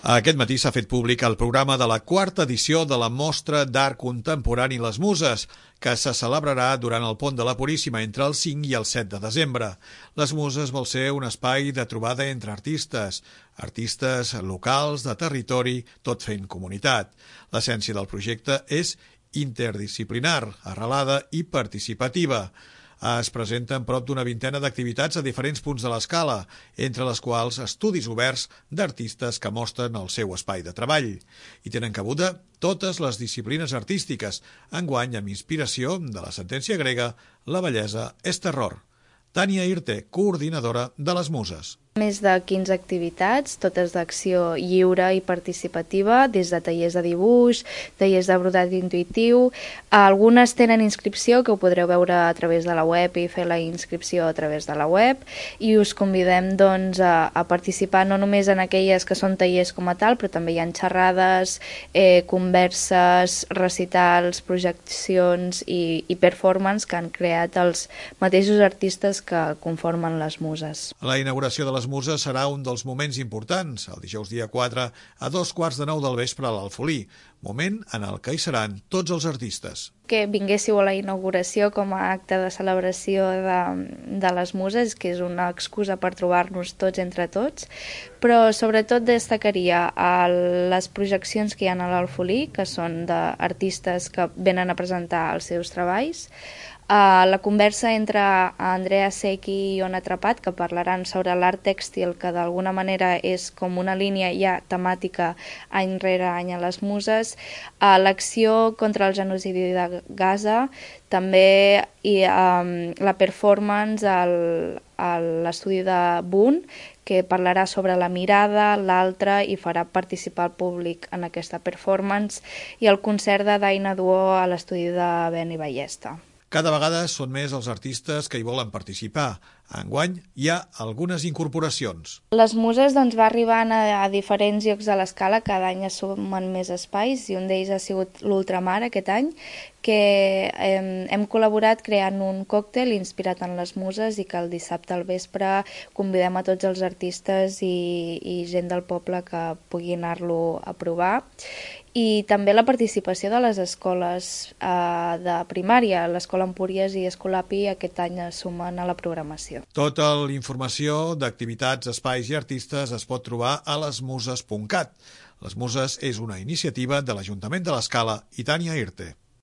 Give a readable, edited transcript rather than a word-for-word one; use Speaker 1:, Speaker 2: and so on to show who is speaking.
Speaker 1: Aquest matí s'ha fet públic el programa de la quarta edició de la Mostra d'Art Contemporani Les Muses, que se celebrarà durant el Pont de la Puríssima entre el 5 i el 7 de desembre. Les Muses vol ser un espai de trobada entre artistes locals, de territori, tot fent comunitat. L'essència del projecte és interdisciplinar, arrelada i participativa. Es presenten prop d'una vintena d'activitats a diferents punts de l'escala, entre les quals estudis oberts d'artistes que mostren el seu espai de treball. I tenen cabuda totes les disciplines artístiques, enguany amb inspiració de la sentència grega «La bellesa és terror». Tània Irte, coordinadora de les Muses.
Speaker 2: Més de 15 activitats, totes d'acció lliure i participativa, des de tallers de dibuix, tallers de brodat intuïtiu. Algunes tenen inscripció, que ho podreu veure a través de la web i fer la inscripció a través de la web, i us convidem doncs, a participar no només en aquelles que són tallers com a tal, però també hi ha xerrades, converses, recitals, projeccions i performance que han creat els mateixos artistes que conformen les Muses.
Speaker 1: La inauguració de les Muses serà un dels moments importants, el dijous dia 4 a 8:45 del vespre a l'Alfolí, moment en el que hi seran tots els artistes.
Speaker 2: Que vinguéssiu a la inauguració com a acte de celebració de les Muses, que és una excusa per trobar-nos tots entre tots, però sobretot destacaria les projeccions que hi ha a l'Alfolí, que són d'artistes que venen a presentar els seus treballs, la conversa entre Andrea Secchi i Ona Trapat, que parlaran sobre l'art tèxtil, que d'alguna manera és com una línia ja temàtica any rere any a les Muses, l'acció contra el genocidi de Gaza, també la performance a l'estudi de Boone, que parlarà sobre la mirada, l'altre, i farà participar el públic en aquesta performance, i el concert de Daina Duo a l'estudi de Beni Ballesta.
Speaker 1: Cada vegada són més els artistes que hi volen participar. Enguany hi ha algunes incorporacions.
Speaker 2: Les Muses va arribant a diferents llocs de l'escala, cada any es sumen més espais, i un d'ells ha sigut l'Ultramar aquest any, que hem col·laborat creant un còctel inspirat en les Muses i que el dissabte al vespre convidem a tots els artistes i gent del poble que pugui anar-lo a provar. I també la participació de les escoles de primària, l'Escola Empúries i Escolapi aquest any es sumen a la programació.
Speaker 1: Tota la informació d'activitats, espais i artistes es pot trobar a lesmuses.cat. Les Muses és una iniciativa de l'Ajuntament de l'Escala i Tània Irte.